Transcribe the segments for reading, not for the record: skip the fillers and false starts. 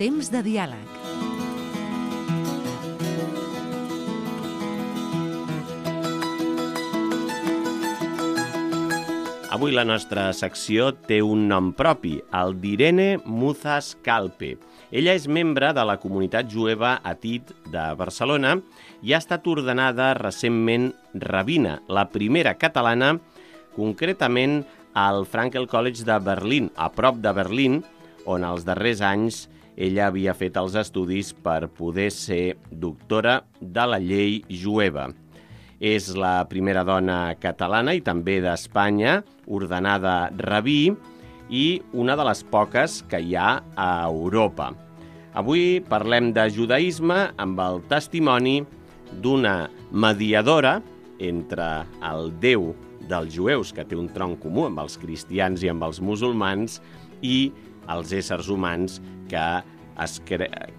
Temps de diàleg. Avui la nostra secció té un nom propi, el d'Irene Muzas Calpe. Ella és membre de la comunitat jueva Atit de Barcelona i ha estat ordenada recentment rabina, la primera catalana, concretament al Frankel College de Berlín, a prop de Berlín, on els darrers anys ella havia fet els estudis per poder ser doctora de la llei jueva. És la primera dona catalana i també d'Espanya ordenada rabí i una de les poques que hi ha a Europa. Avui parlem de judaïsme amb el testimoni d'una mediadora entre el Déu dels jueus, que té un tronc comú amb els cristians i amb els musulmans, i els éssers humans que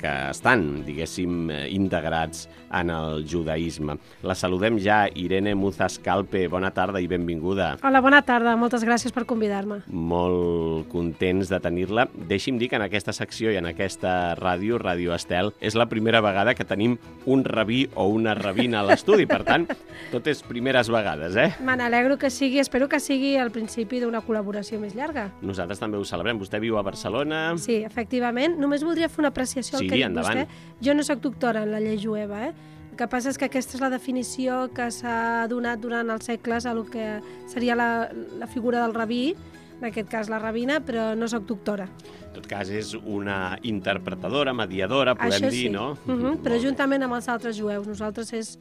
estan, diguéssim, integrats en el judaïsme. La saludem ja, Irene Muzas Calpe. Bona tarda i benvinguda. Hola, bona tarda. Moltes gràcies per convidar-me. Molt contents de tenir-la. Deixi'm dir que en aquesta secció i en aquesta ràdio, Ràdio Estel, és la primera vegada que tenim un rabí o una rabina a l'estudi. Per tant, tot és primeres vegades, eh? Me n'alegro que sigui, espero que sigui el principi d'una col·laboració més llarga. Nosaltres també ho celebrem. Vostè viu a Barcelona. Sí, efectivament. Només voldria fer una apreciació al que ha dit vostè. Jo no soc doctora en la llei jueva, El que passa és que aquesta és la definició que s'ha donat durant els segles a el que seria la figura del rabí, en aquest cas la rabina, però no soc doctora. En tot cas, és una interpretadora, mediadora, podem dir, no? Però juntament amb els altres jueus. Nosaltres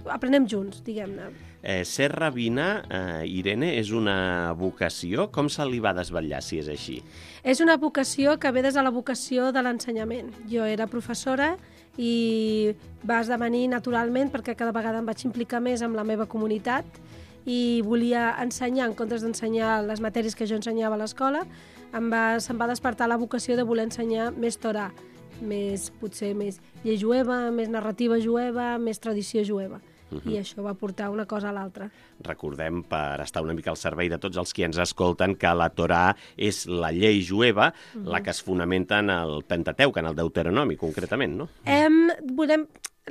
aprenem junts, diguem-ne. Ser rabina, Irene, és una vocació? Com se li va desvetllar, si és així? És una vocació que ve des de la vocació de l'ensenyament. Jo era professora i va esdevenir naturalment perquè cada vegada em vaig implicar més amb la meva comunitat i volia ensenyar, en comptes d'ensenyar les matèries que jo ensenyava a l'escola, se'm va despertar la vocació de voler ensenyar més Torà, potser més llei jueva, més narrativa jueva, més tradició jueva. I això va portar una cosa a l'altra. Recordem, per estar una mica al servei de tots els qui ens escolten, que la Torà és la llei jueva, la que es fonamenta en el Pentateuc, en el Deuteronomi, concretament, no?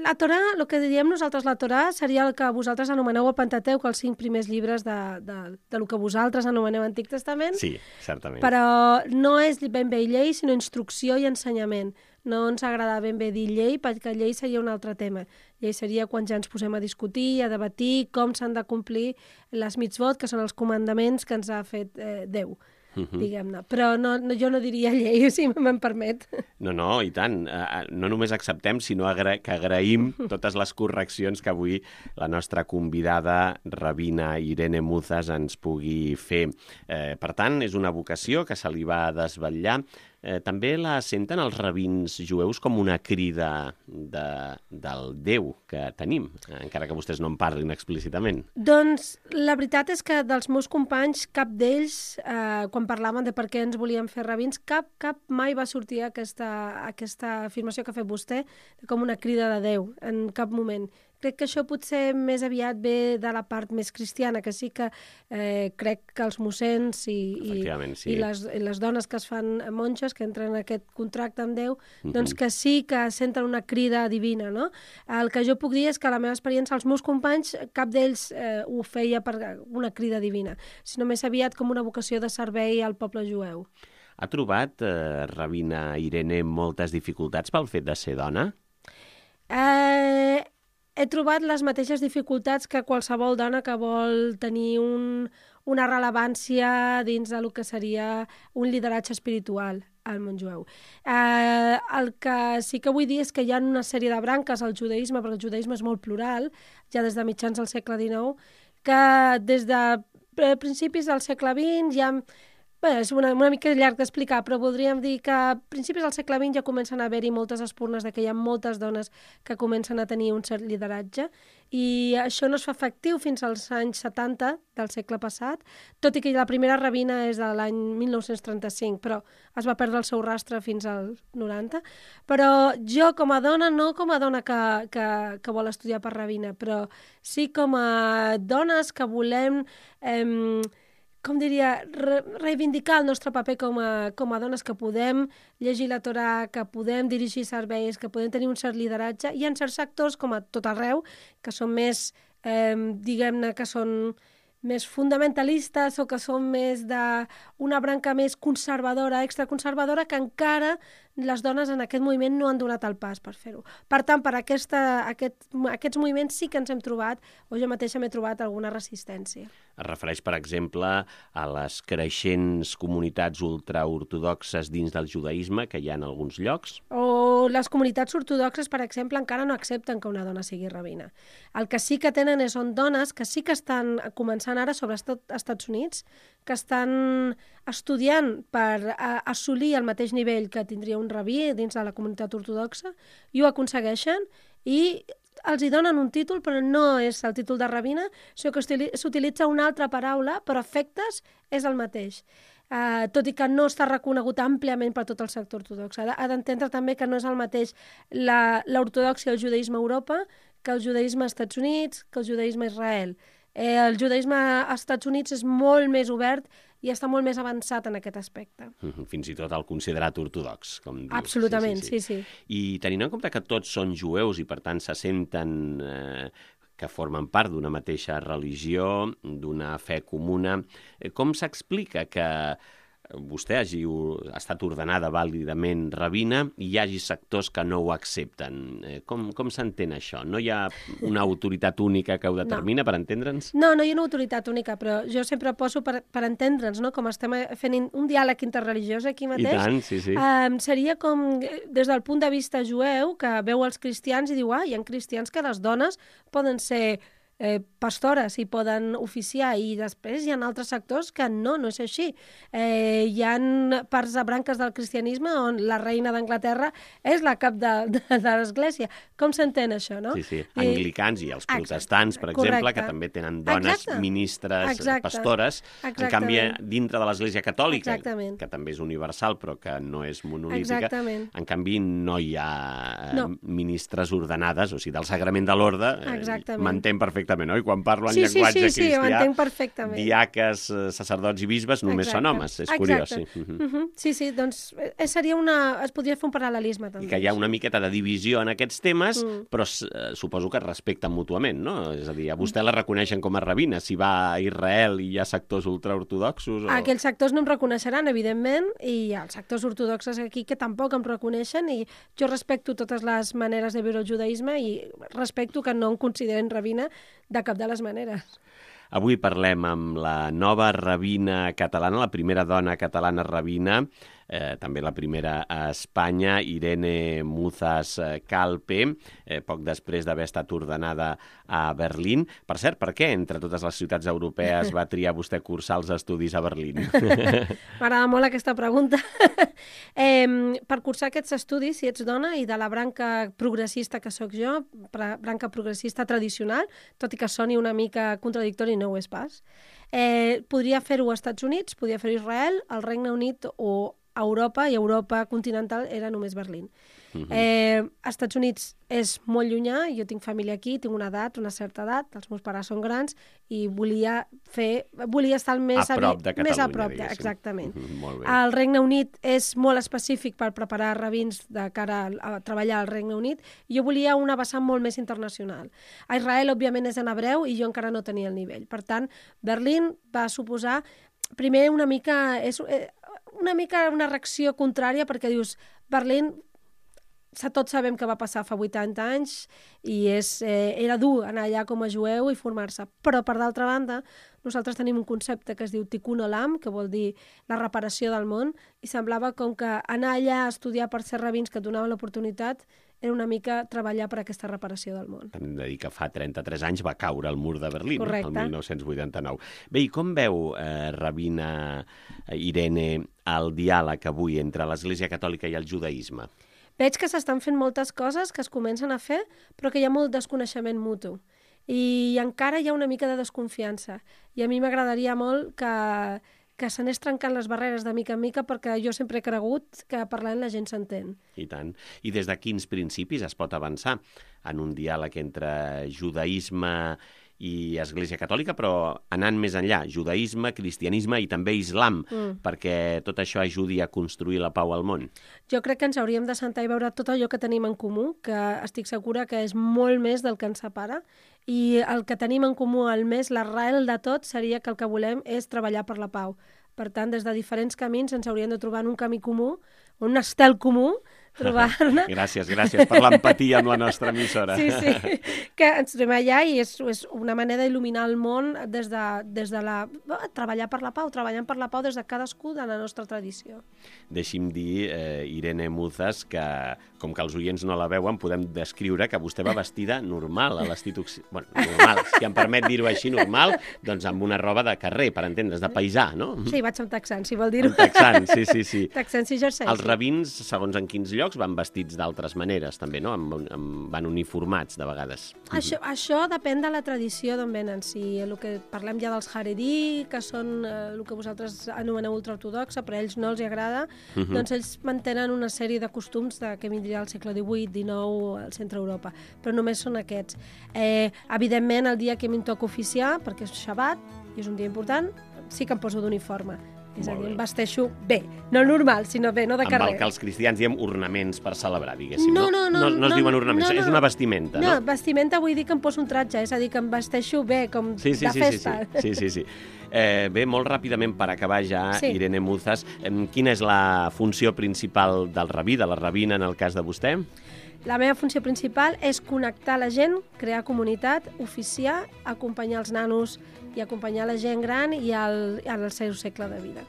La Torà, el que diríem nosaltres la Torà, seria el que vosaltres anomeneu el Pentateuc, els 5 primers llibres del que vosaltres anomeneu Antic Testament. Sí, certament. Però no és ben bé llei, sinó instrucció i ensenyament. No ens agrada ben bé dir llei, perquè llei seria un altre tema. Llei seria quan ja ens posem a discutir, a debatir com s'han de complir les mitzvot, que són els comandaments que ens ha fet Déu, diguem-ne. Però jo no diria llei, si me'n permet. No, i tant. No només acceptem, sinó que agraïm totes les correccions que avui la nostra convidada, rabina Irene Muzas, ens pugui fer. Per tant, és una vocació que se li va desvetllar. També la senten els rabins jueus com una crida del Déu que tenim, encara que vostès no en parlin explícitament. Doncs la veritat és que dels meus companys, cap d'ells, quan parlaven de per què ens volíem fer rabins, cap mai va sortir aquesta afirmació que ha fet vostè com una crida de Déu, en cap moment. Crec que això potser més aviat ve de la part més cristiana, que sí que crec que els mossens i les dones que es fan monges, que entren en aquest contracte amb Déu, doncs que sí que senten una crida divina, no? El que jo puc dir és que la meva experiència, els meus companys, cap d'ells ho feia per una crida divina, sinó més aviat com una vocació de servei al poble jueu. Ha trobat, rabina Irene, moltes dificultats pel fet de ser dona? He trobat les mateixes dificultats que qualsevol dona que vol tenir una rellevància dins del que seria un lideratge espiritual al món jueu. El que sí que vull dir és que hi ha una sèrie de branques al judaïsme, perquè el judaïsme és molt plural, ja des de mitjans del segle XIX, que des de principis del segle XX ja... Bé, és una mica llarg d'explicar, però voldríem dir que a principis del segle XX ja comencen a haver-hi moltes espurnes de que hi ha moltes dones que comencen a tenir un cert lideratge i això no es fa efectiu fins als anys 70 del segle passat, tot i que la primera rabina és de l'any 1935, però es va perdre el seu rastre fins al 90. Però jo com a dona, no com a dona que vol estudiar per rabina, però sí com a dones que volem com diria, reivindicar el nostre paper com a dones, que podem llegir la Torà, que podem dirigir serveis, que podem tenir un cert lideratge. Hi ha certs sectors, com a tot arreu, que són més, diguem-ne, que són més fonamentalistes o que són més d'una branca més conservadora, extraconservadora, que encara les dones en aquest moviment no han donat el pas per fer-ho. Per tant, per aquests moviments sí que ens hem trobat, o jo mateixa m'he trobat alguna resistència. Es refereix, per exemple, a les creixents comunitats ultraortodoxes dins del judaïsme que hi ha en alguns llocs? O les comunitats ortodoxes, per exemple, encara no accepten que una dona sigui rabina. El que sí que tenen són dones que sí que estan començant ara, sobretot als Estats Units, que estan estudiant per assolir el mateix nivell que tindria un rabí dins de la comunitat ortodoxa, i ho aconsegueixen, i els hi donen un títol, però no és el títol de rabina, sinó que s'utilitza una altra paraula, però efectes és el mateix. Tot i que no està reconegut àmpliament per tot el sector ortodox. Ha d'entendre també que no és el mateix l'ortodoxia i el judaïsme a Europa que el judaïsme als Estats Units, que el judaïsme a Israel. El judaïsme als Estats Units és molt més obert i està molt més avançat en aquest aspecte. Fins i tot el considerat ortodox, com dius. Absolutament, sí. I tenint en compte que tots són jueus i per tant se senten que formen part d'una mateixa religió, d'una fe comuna, com s'explica que vostè hagi estat ordenada vàlidament rabina i hi hagi sectors que no ho accepten? Com s'entén això? No hi ha una autoritat única que ho determina, per entendre'ns? No hi ha una autoritat única, però jo sempre poso per entendre'ns, no? Com estem fent un diàleg interreligiós aquí mateix. I tant, sí. Seria com, des del punt de vista jueu, que veu els cristians i diu, hi ha cristians que les dones poden ser pastores i poden oficiar, i després hi ha altres sectors que no és així. Hi ha parts de branques del cristianisme on la reina d'Anglaterra és la cap de l'església. Com s'entén això, no? Sí. Anglicans i els protestants, per exemple, que també tenen dones ministres, pastores. En canvi, dintre de l'església catòlica, que també és universal però que no és monolítica, en canvi no hi ha ministres ordenades, o sigui, del sagrament de l'orde, m'entén perfectament, oi? Quan parlo en llenguatge cristià, ho entenc perfectament. Diaques, sacerdots i bisbes només són homes, és curiós. Sí, doncs es podria fer un paral·lelisme també. I que hi ha una miqueta de divisió en aquests temes, però suposo que es respecten mútuament, no? És a dir, a vostè la reconeixen com a rabina, si va a Israel i hi ha sectors ultraortodoxos? Aquells sectors no em reconeixeran, evidentment, i hi ha els sectors ortodoxes aquí que tampoc em reconeixen, i jo respecto totes les maneres de viure el judaïsme i respecto que no em consideren rabina de cap de les maneres. Avui parlem amb la nova rabina catalana, la primera dona catalana rabina, també la primera a Espanya, Irene Muzas Calpe, poc després d'haver estat ordenada a Berlín. Per cert, per què entre totes les ciutats europees va triar vostè cursar els estudis a Berlín? M'agrada molt aquesta pregunta. Per cursar aquests estudis, si ets dona i de la branca progressista que sóc jo, branca progressista tradicional, tot i que soni una mica contradictori, no ho és pas, podria fer-ho als Estats Units, podria fer-ho a Israel, al Regne Unit o a Europa, i Europa continental era només Berlín. Als Estats Units és molt llunyà, jo tinc família aquí, tinc una certa edat, els meus pares són grans, i volia estar més a prop de Catalunya, exactament. Molt bé. El Regne Unit és molt específic per preparar rabins de cara a treballar al Regne Unit, i jo volia una vessant molt més internacional. A Israel, òbviament, és en hebreu, i jo encara no tenia el nivell. Per tant, Berlín va suposar, primer, una mica una reacció contrària, perquè dius, Berlín, tots sabem que va passar fa 80 anys i era dur anar allà com a jueu i formar-se. Però, per d'altra banda, nosaltres tenim un concepte que es diu Tikkun Olam, que vol dir la reparació del món, i semblava com que anar allà a estudiar per ser rabins que et donaven l'oportunitat era una mica treballar per aquesta reparació del món. Hem de dir que fa 33 anys va caure el mur de Berlín, correcte, el 1989. Bé, i com veu, rabina Irene, el diàleg avui entre l'Església Catòlica i el judaïsme? Veig que s'estan fent moltes coses que es comencen a fer, però que hi ha molt desconeixement mutu. I encara hi ha una mica de desconfiança. I a mi m'agradaria molt que s'anés trencant les barreres de mica en mica, perquè jo sempre he cregut que parlant la gent s'entén. I tant. I des de quins principis es pot avançar en un diàleg entre judaïsme i Església Catòlica, però anant més enllà, judaïsme, cristianisme i també islam, perquè tot això ajudi a construir la pau al món. Jo crec que ens hauríem de sentar i veure tot allò que tenim en comú, que estic segura que és molt més del que ens separa, i el que tenim en comú, el més, l'arrel de tot, seria que el que volem és treballar per la pau. Per tant, des de diferents camins ens hauríem de trobar en un camí comú, un estel comú, trobar-ne... Gràcies per l'empatia amb la nostra emissora. Sí, que ens trobem allà i és una manera d'il·luminar el món des de la... treballant per la pau des de cadascú de la nostra tradició. Deixi'm dir, Irene Muzas, que com que els oients no la veuen, podem descriure que vostè va vestida normal, a l'estit bueno, normal, si em permet dir-ho així, normal, doncs amb una roba de carrer, per entendre's, de paisà, no? Sí, vaig amb texans, si vol dir-ho. Amb texans, sí. Texans i jerseis. Els rabins, segons en quins llocs, van vestits d'altres maneres, també, no? Van uniformats, de vegades. Això depèn de la tradició d'on venen. Si el que parlem ja dels Haredi, que són el que vosaltres anomeneu ultraortodoxa, però a ells no els agrada, doncs ells mantenen una sèrie de costums que vindria al segle XVIII, XIX, al centre Europa, però només són aquests. Evidentment, el dia que em toca oficiar, perquè és Shabbat, i és un dia important, sí que em poso d'uniforme. És a dir, em vesteixo bé, no normal, sinó bé, no de carrer. Amb el que els cristians diem ornaments per celebrar, diguéssim. No es diuen ornaments, és una vestimenta, no? No, vestimenta vull dir que em poso un tratge, és a dir, que em vesteixo bé, com de festa. Sí. Bé, molt ràpidament, per acabar ja, Irene Muzas, quina és la funció principal del rabí, de la rabina, en el cas de vostè? La meva funció principal és connectar la gent, crear comunitat, oficiar, acompanyar els nanos i acompanyar la gent gran i al seu segle de vida.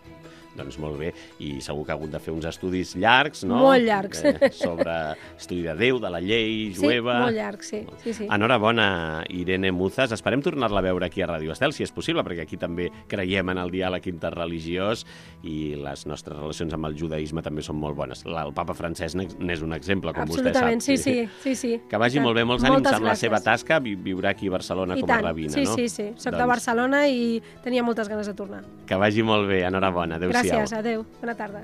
Doncs molt bé, i segur que ha hagut de fer uns estudis llargs, no? Molt llargs. Sobre estudi de Déu, de la llei jueva... Sí, molt llargs, sí. Enhorabona, Irene Muzas. Esperem tornar-la a veure aquí a Ràdio Estel, si és possible, perquè aquí també creiem en el diàleg interreligiós i les nostres relacions amb el judaïsme també són molt bones. El papa Francesc n'és un exemple, com vostè sap. Absolutament, sí. Que vagi molt bé, molts ànims amb la seva tasca, viurà aquí a Barcelona com a rabina, no? Sí. Soc de Barcelona i tenia moltes ganes de tornar. Que vagi molt bé, enhorabona. Adéu-siau. Gràcies, adéu. Bona tarda.